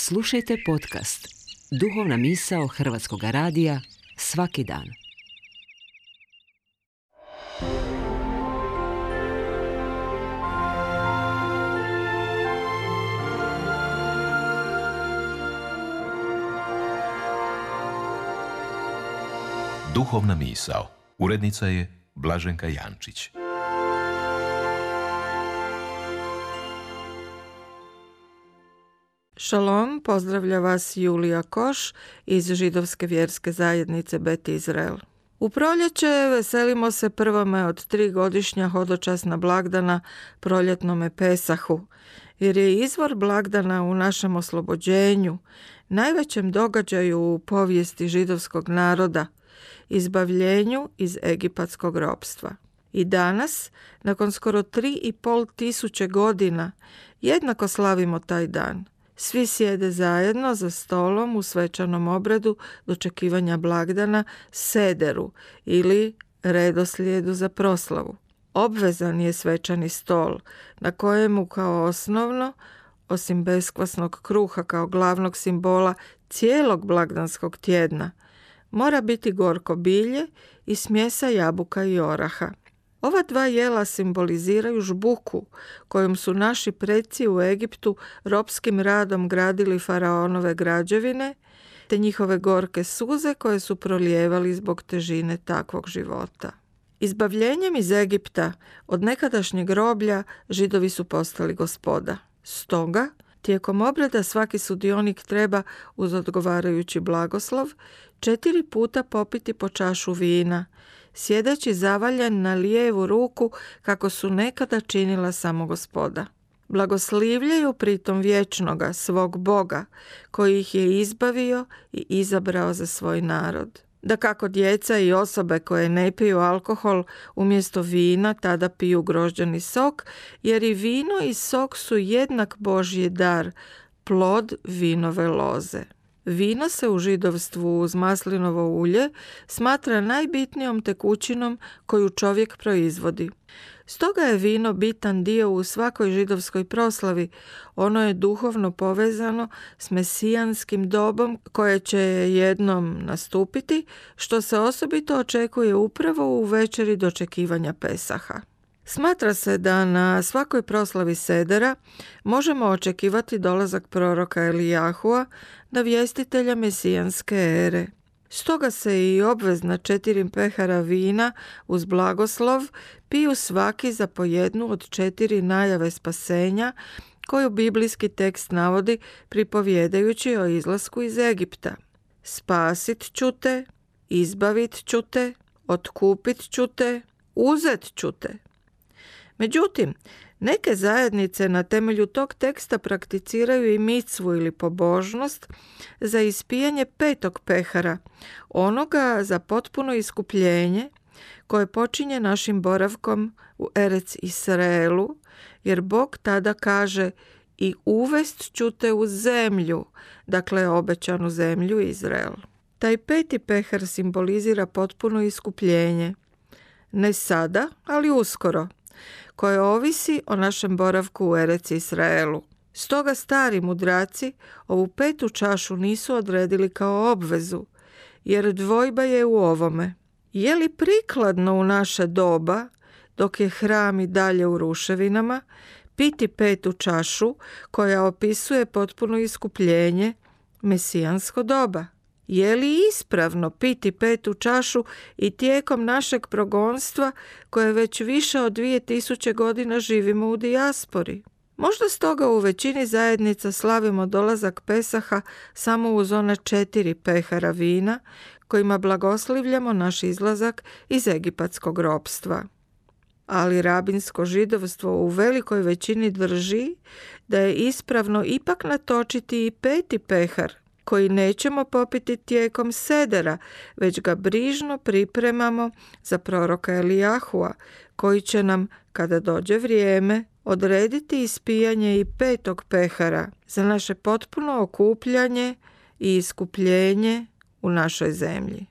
Slušajte podcast Duhovna misao Hrvatskog radija svaki dan. Duhovna misao. Urednica je Blaženka Jančić. Šalom, pozdravlja vas Julija Koš iz židovske vjerske zajednice Bet Izrael. U proljeće veselimo se prvome od 3 godišnja hodočasna blagdana proljetnome Pesahu, jer je izvor blagdana u našem oslobođenju, najvećem događaju u povijesti židovskog naroda, izbavljenju iz egipatskog ropstva. I danas, nakon skoro 3.500 godina, jednako slavimo taj dan. Svi sjede zajedno za stolom u svečanom obredu dočekivanja blagdana sederu ili redoslijedu za proslavu. Obvezan je svečani stol na kojemu kao osnovno, osim beskvasnog kruha kao glavnog simbola cijelog blagdanskog tjedna, mora biti gorko bilje i smjesa jabuka i oraha. Ova 2 jela simboliziraju žbuku kojom su naši preci u Egiptu ropskim radom gradili faraonove građevine, te njihove gorke suze koje su prolijevali zbog težine takvog života. Izbavljenjem iz Egipta od nekadašnjeg groblja Židovi su postali gospoda. Stoga, tijekom obreda svaki sudionik treba uz odgovarajući blagoslov 4 puta popiti po čašu vina, sjedeći zavaljen na lijevu ruku kako su nekada činila samo gospoda. Blagoslivljaju pritom vječnoga, svog Boga, koji ih je izbavio i izabrao za svoj narod. Dakako djeca i osobe koje ne piju alkohol umjesto vina tada piju grožđani sok, jer i vino i sok su jednak Božji dar, plod vinove loze. Vino se u židovstvu uz maslinovo ulje smatra najbitnijom tekućinom koju čovjek proizvodi. Stoga je vino bitan dio u svakoj židovskoj proslavi. Ono je duhovno povezano s mesijanskim dobom koje će jednom nastupiti, što se osobito očekuje upravo u večeri dočekivanja Pesaha. Smatra se da na svakoj proslavi sedera možemo očekivati dolazak proroka Elijahua, navjestitelja mesijanske ere. Stoga se i obvezna 4 pehara vina uz blagoslov piju svaki za po jednu od 4 najave spasenja koju biblijski tekst navodi pripovjedajući o izlasku iz Egipta. Spasit ću te, izbavit ću te, otkupit ću te, uzet ću te. Međutim, neke zajednice na temelju tog teksta prakticiraju i micvu ili pobožnost za ispijanje 5. pehara, onoga za potpuno iskupljenje koje počinje našim boravkom u Erec Israelu, jer Bog tada kaže i uvest ću te u zemlju, dakle obećanu zemlju Izrael. Taj 5. pehar simbolizira potpuno iskupljenje, ne sada, ali uskoro, koje ovisi o našem boravku u Erec Israelu. Stoga stari mudraci ovu 5. čašu nisu odredili kao obvezu, jer dvojba je u ovome. Je li prikladno u naše doba, dok je hram i dalje u ruševinama, piti 5. čašu koja opisuje potpuno iskupljenje, mesijansko doba? Je li ispravno piti 5. čašu i tijekom našeg progonstva koje već više od 2000 godina živimo u dijaspori? Možda stoga u većini zajednica slavimo dolazak Pesaha samo uz one 4 pehara vina kojima blagoslivljamo naš izlazak iz egipatskog ropstva. Ali rabinsko židovstvo u velikoj većini drži da je ispravno ipak natočiti i 5. pehar, koji nećemo popiti tijekom sedera, već ga brižno pripremamo za proroka Elijahua, koji će nam, kada dođe vrijeme, odrediti ispijanje i 5. pehara za naše potpuno okupljanje i iskupljenje u našoj zemlji.